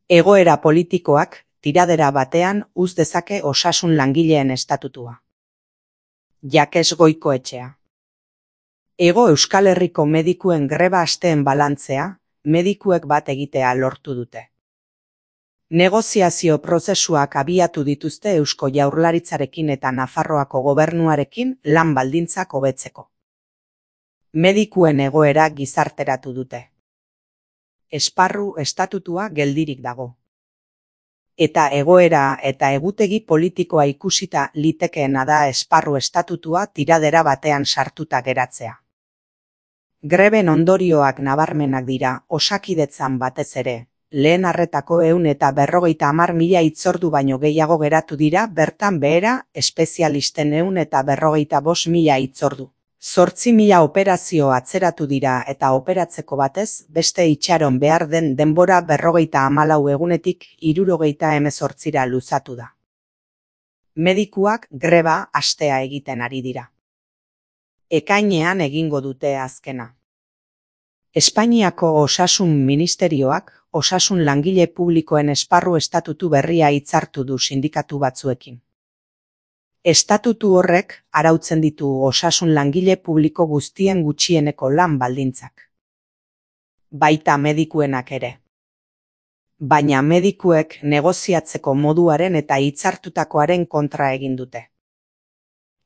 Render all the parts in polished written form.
Egoera politikoak tiradera batean uz dezake osasun langileen estatutua. Jakes Goikoetxea. Hego Euskal Herriko medikuen greba asteen balantzea, medikuek bat egitea lortu dute. Negoziazio prozesuak abiatu dituzte Eusko Jaurlaritzarekin eta Nafarroako gobernuarekin lan baldintzak hobetzeko. Medikuen egoera gizarteratu dute. Esparru estatutua geldirik dago. Eta egoera eta egutegi politikoa ikusita litekeena da esparru estatutua tiradera batean sartuta geratzea. Greben ondorioak nabarmenak dira, Osakidetzan batez ere. Lehen arretako 150.000 hitzordu baino gehiago geratu dira bertan behera, espezialisten 155.000 hitzordu. 8.000 operazio atzeratu dira eta operatzeko batez, beste itxaron behar den denbora 54 egunetik 78 luzatu da. Medikuak greba astea egiten ari dira. Ekainean egingo dute azkena. Espainiako Osasun Ministerioak osasun langile publikoen esparru estatutu berria hitzartu du sindikatu batzuekin. Estatutu horrek arautzen ditu osasun langile publiko guztien gutxieneko lan baldintzak. Baita medikuenak ere. Baina medikuek negoziatzeko moduaren eta hitzartutakoaren kontra egin dute.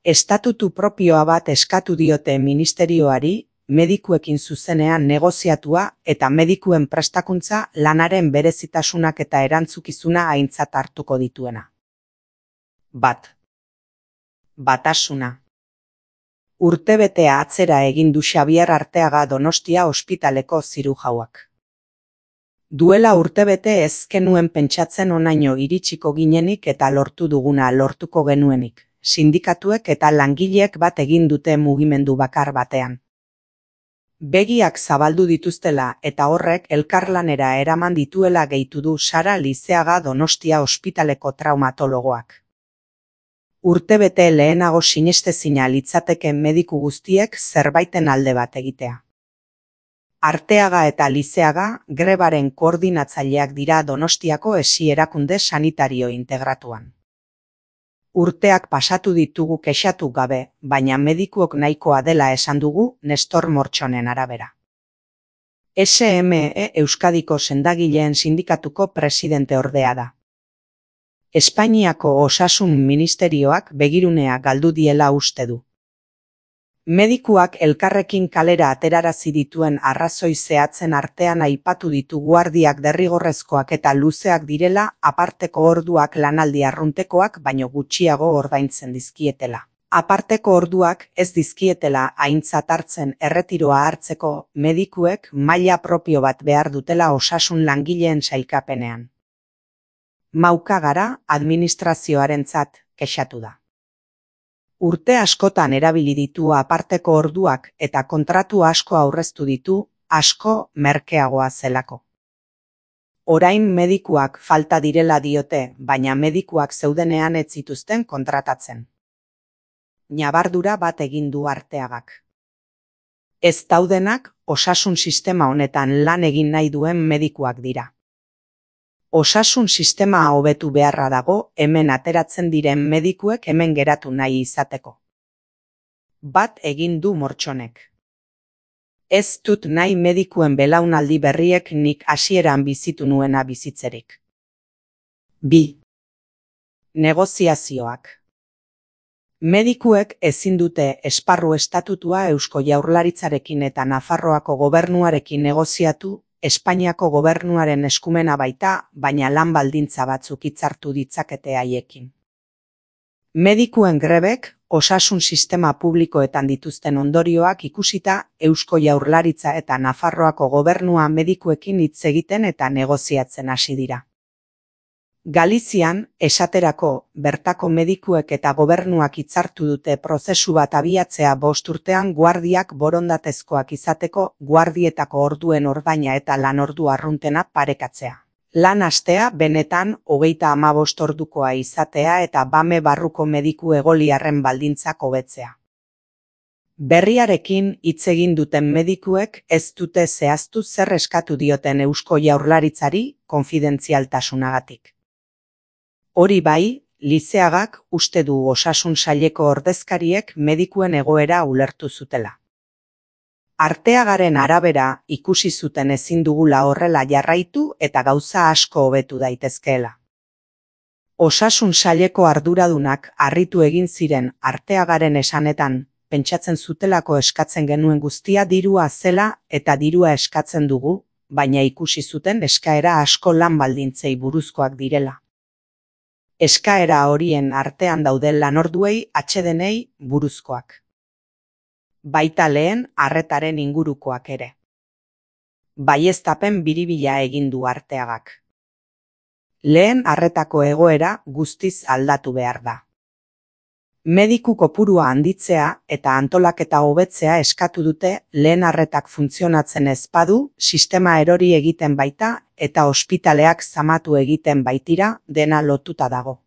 Estatutu propioa bat eskatu diote ministerioari, medikuekin zuzenean negoziatua eta medikuen prestakuntza lanaren berezitasunak eta erantzukizuna aintzat hartuko dituena. Batasuna. Urtebetea atzera egin du Xabier Arteaga Donostia ospitaleko zirujauak. Duela urtebete ez genuen pentsatzen honaino iritsiko ginenik eta lortu duguna lortuko genuenik. Sindikatuek eta langileek bat egin dute mugimendu bakar batean. Begiak zabaldu dituztela eta horrek elkarlanera eraman dituela gehitu du Sara Lizeaga Donostia ospitaleko traumatologoak. Urtebete lehenago sinestezina litzateke mediku guztiek zerbaiten alde bat egitea. Arteaga eta Lizeaga grebaren koordinatzaileak dira Donostiako esi erakunde sanitario integratuan. Urteak pasatu ditugu kexatu gabe, baina medikuok nahikoa dela esan dugu Nestor Mortxonen arabera. SME Euskadiko sendagileen sindikatuko presidente ordea da. Espainiako Osasun Ministerioak begirunea galdu diela uste du. Medikuak elkarrekin kalera aterarazi dituen arrazoi zehatzen artean aipatu ditu guardiak derrigorrezkoak eta luzeak direla, aparteko orduak lanaldi arruntekoak baino gutxiago ordaintzen dizkietela. Aparteko orduak ez dizkietela aintzat hartzen erretiroa hartzeko, medikuek maila propio bat behar dutela osasun langileen sailkapenean. Mauka gara administrazioarentzat kexatu da. Urte askotan erabili ditu aparteko orduak eta kontratu asko aurreztu ditu, asko merkeagoa zelako. Orain medikuak falta direla diote, baina medikuak zeudenean ez zituzten kontratatzen. Ñabardura bat egin du Arteagak. Ez daudenak osasun sistema honetan lan egin nahi duen medikuak dira. Osasun sistema hobetu beharra dago hemen ateratzen diren medikuek hemen geratu nahi izateko. Bat egin du Mortxonek. Ez dut nahi medikuen belaunaldi berriek nik hasieran bizitu nuena bizitzerik. 2. Negoziazioak. Medikuek ezin dute esparru estatutua Eusko Jaurlaritzarekin eta Nafarroako gobernuarekin negoziatu, Espainiako gobernuaren eskumena baita, baina lan baldintza batzuk hitzartu ditzakete haiekin. Medikuen grebek osasun sistema publikoetan dituzten ondorioak ikusita Eusko Jaurlaritza eta Nafarroako gobernua medikuekin hitz egiten eta negoziatzen hasi dira. Galizian, esaterako, bertako medikuek eta gobernuak hitzartu dute prozesu bat abiatzea 5 urtean guardiak borondatezkoak izateko, guardietako orduen ordaina eta lanordu arruntena parekatzea. Lan astea benetan 35 ordukoa izatea eta bame barruko mediku egoliarren baldintzak hobetzea. Berriarekin hitz egin duten medikuek ez dute zehaztu zer eskatu dioten Eusko Jaurlaritzari konfidentzialtasunagatik. Hori bai, Lizeagak uste du Osasun Saileko ordezkariek medikuen egoera ulertu zutela. Arteagaren arabera ikusi zuten ezin dugula horrela jarraitu eta gauza asko hobetu daitezkeela. Osasun Saileko arduradunak harritu egin ziren Arteagaren esanetan, pentsatzen zutelako eskatzen genuen guztia dirua zela eta dirua eskatzen dugu, baina ikusi zuten eskaera asko lan baldintzei buruzkoak direla. Eskaera horien artean dauden lanorduei atsedenei buruzkoak. Baita lehen arretaren ingurukoak ere. Baieztapen biribila egin du Arteagak. Lehen arretako egoera guztiz aldatu behar da. Mediku kopurua handitzea eta antolaketa hobetzea eskatu dute lehen arretak funtzionatzen ez badu, sistema erori egiten baita eta ospitaleak zamatu egiten baitira dena lotuta dago.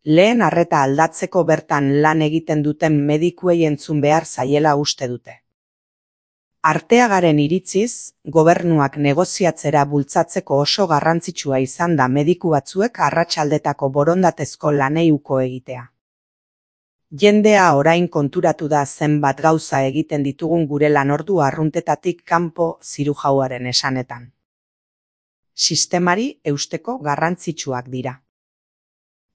Lehen arreta aldatzeko bertan lan egiten duten medikuei entzun behar zaiela uste dute. Arteagaren iritziz, gobernuak negoziatzera bultzatzeko oso garrantzitsua izan da mediku batzuek arratsaldetako borondatezko lanei uko egitea. Jendea orain konturatu da zenbat gauza egiten ditugun gure lanordu arruntetatik kanpo zirujauaren esanetan. Sistemari eusteko garrantzitsuak dira.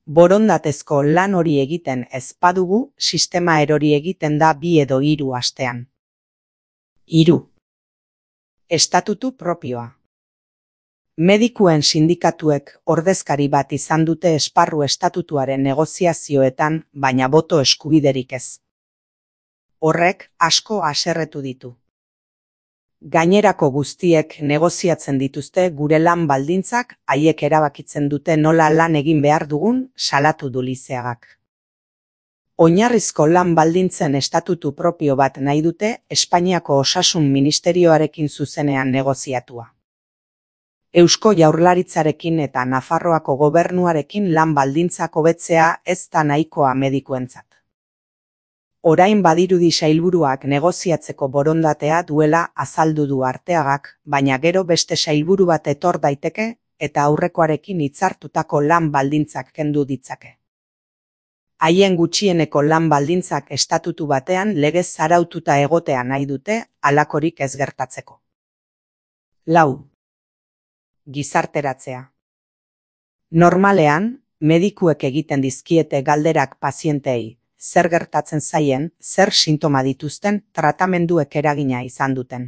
Borondatezko lan hori egiten ez badugu, sistema erori egiten da 2 edo 3 astean. 3. Estatutu propioa. Medikuen sindikatuek ordezkari bat izan dute esparru estatutuaren negoziazioetan, baina boto eskubiderik ez. Horrek asko haserretu ditu. Gainerako guztiek negoziatzen dituzte gure lan baldintzak, haiek erabakitzen dute nola lan egin behar dugun, salatu du Lizeagak. Oinarrizko lan baldintzen estatutu propio bat nahi dute Espainiako Osasun Ministerioarekin zuzenean negoziatua. Eusko Jaurlaritzarekin eta Nafarroako gobernuarekin lan baldintzak hobetzea ez da nahikoa medikuentzat. Orain badirudi sailburuak negoziatzeko borondatea duela azaldu du Arteagak, baina gero beste sailburu bat etor daiteke eta aurrekoarekin hitzartutako lan baldintzak kendu ditzake. Haien gutxieneko lan baldintzak estatutu batean legez araututa egotea nahi dute, halakorik ez gertatzeko. 4. Gizarteratzea. Normalean, medikuek egiten dizkiete galderak pazienteei, zer gertatzen zaien, zer sintoma dituzten, tratamenduek eragina izan duten.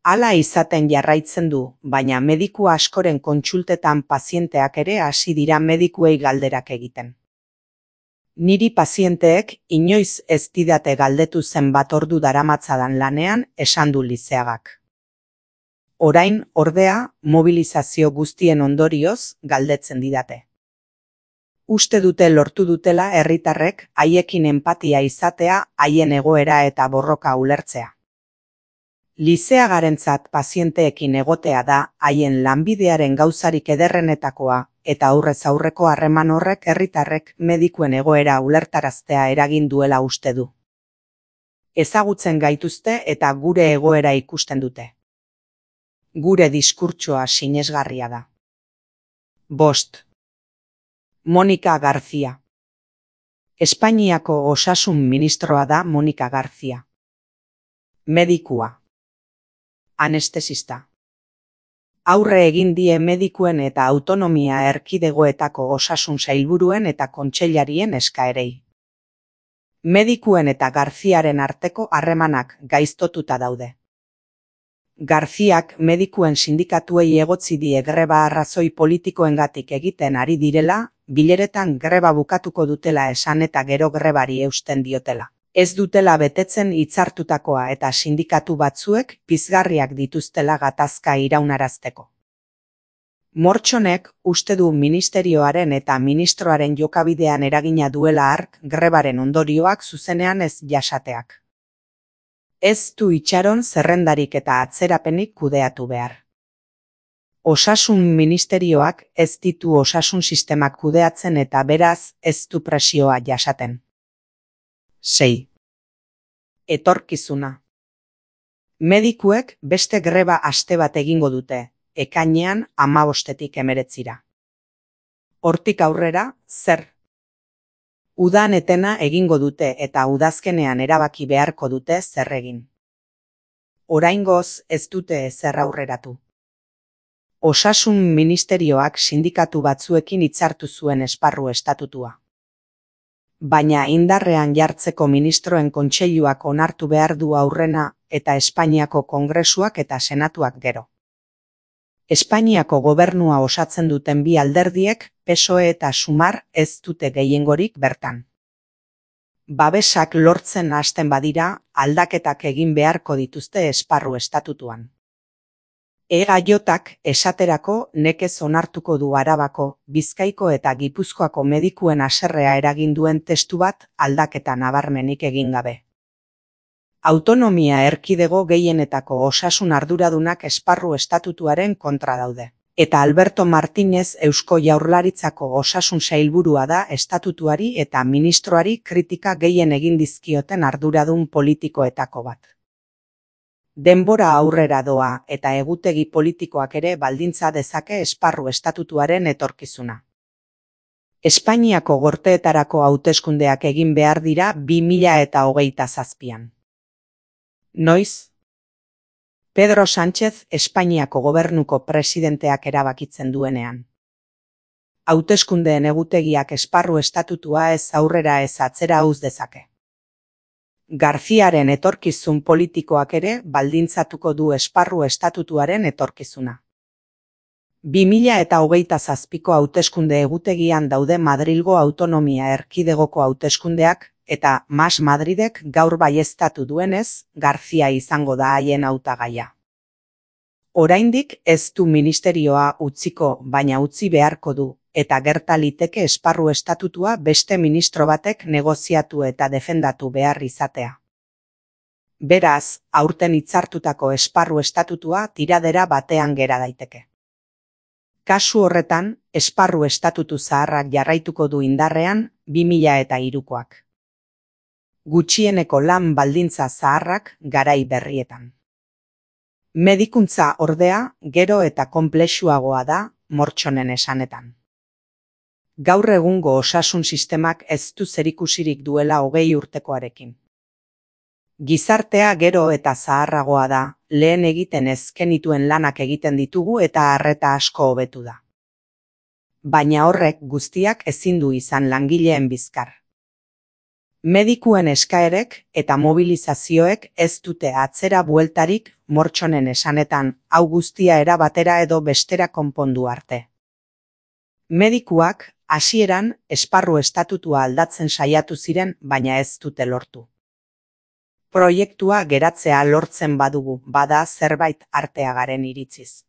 Hala izaten jarraitzen du, baina mediku askoren kontsultetan pazienteak ere hasi dira medikuei galderak egiten. Niri pazienteek inoiz ez didate galdetu zenbat ordu daramatzadan lanean, esan du Lizeagak. Orain, ordea, mobilizazio guztien ondorioz galdetzen didate. Uste dute lortu dutela herritarrek haiekin enpatia izatea, haien egoera eta borroka ulertzea. Lizeagarentzat pazienteekin egotea da haien lanbidearen gauzarik ederrenetakoa, eta aurrez aurreko harreman horrek herritarrek medikuen egoera ulertaraztea eragin duela uste du. Ezagutzen gaituzte eta gure egoera ikusten dute. Gure diskurtsoa sinesgarria da. 5. Monika Garzia. Espainiako Osasun Ministroa da Monika Garzia. Medikua. Anestesista. Aurre egin die medikuen eta autonomia erkidegoetako osasun sailburuen eta kontseilarien eskaerei. Medikuen eta Garziaren arteko harremanak gaiztotuta daude. Garziak medikuen sindikatuei egotzi die greba arrazoi politikoengatik egiten ari direla, bileretan greba bukatuko dutela esan eta gero grebari eusten diotela. Ez dutela betetzen hitzartutakoa eta sindikatu batzuek pizgarriak dituztela gatazka iraunarazteko. Mortxonek uste du ministerioaren eta ministroaren jokabidean eragina duela hark grebaren ondorioak zuzenean ez jasateak. Ez du itxaron zerrendarik eta atzerapenik kudeatu behar. Osasun ministerioak ez ditu osasun sistemak kudeatzen eta beraz ez du presioa jasaten. 6. Etorkizuna. Medikuek beste greba aste bat egingo dute, ekainean 15-tik 19. Hortik aurrera, zer? Udan etena egingo dute eta udazkenean erabaki beharko dute zer egin. Oraingoz ez dute ezer aurreratu. Osasun ministerioak sindikatu batzuekin hitzartu zuen esparru estatutua. Baina indarrean jartzeko ministroen kontseiluak onartu behar du aurrena eta Espainiako Kongresuak eta Senatuak gero. Espainiako gobernua osatzen duten bi alderdiek, PSOE eta Sumar, ez dute gehiengorik bertan. Babesak lortzen hasten badira, aldaketak egin beharko dituzte esparru estatutuan. EAJak esaterako nekez onartuko du Arabako, Bizkaiko eta Gipuzkoako medikuen haserrea eragin duen testu bat aldaketa nabarmenik egin gabe. Autonomia erkidego gehienetako osasun arduradunak esparru estatutuaren kontra daude. Eta Alberto Martínez Eusko Jaurlaritzako osasun sailburua da estatutuari eta ministroari kritika gehien egin dizkioten arduradun politikoetako bat. Denbora aurrera doa eta egutegi politikoak ere baldintza dezake esparru estatutuaren etorkizuna. Espainiako gorteetarako hauteskundeak egin behar dira 2027an. Noiz? Pedro Sánchez Espainiako gobernuko presidenteak erabakitzen duenean. Hauteskundeen egutegiak esparru estatutua ez aurrera ez atzera uz dezake. Garziaren etorkizun politikoak ere baldintzatuko du esparru estatutuaren etorkizuna. 2027ko hauteskunde egutegian daude Madrilgo autonomia erkidegoko hauteskundeak eta Mas Madridek gaur baieztatu duenez, Garzia izango da haien hautagaia. Oraindik ez du ministerioa utziko, baina utzi beharko du, eta gerta liteke esparru estatutua beste ministro batek negoziatu eta defendatu behar izatea. Beraz, aurten hitzartutako esparru estatutua tiradera batean gera daiteke. Kasu horretan, esparru estatutu zaharrak jarraituko du indarrean 2003koak. Gutxieneko lan baldintza zaharrak garai berrietan. Medikuntza ordea gero eta konplexuagoa da Mortxonen esanetan. Gaur egungo osasun sistemak ez du zerikusirik duela 20 urtekoarekin. Gizartea gero eta zaharragoa da, lehen egiten ez genituen lanak egiten ditugu eta arreta asko hobetu da. Baina horrek guztiak ezin du izan langileen bizkar. Medikuen eskaerek eta mobilizazioek ez dute atzera bueltarik Mortxonen esanetan, hau guztia era batera edo bestera konpondu arte. Medikuak hasieran esparru estatutua aldatzen saiatu ziren, baina ez dute lortu. Proiektua geratzea lortzen badugu, bada zerbait arteagaren iritziz.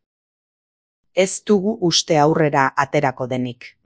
Ez dugu uste aurrera aterako denik.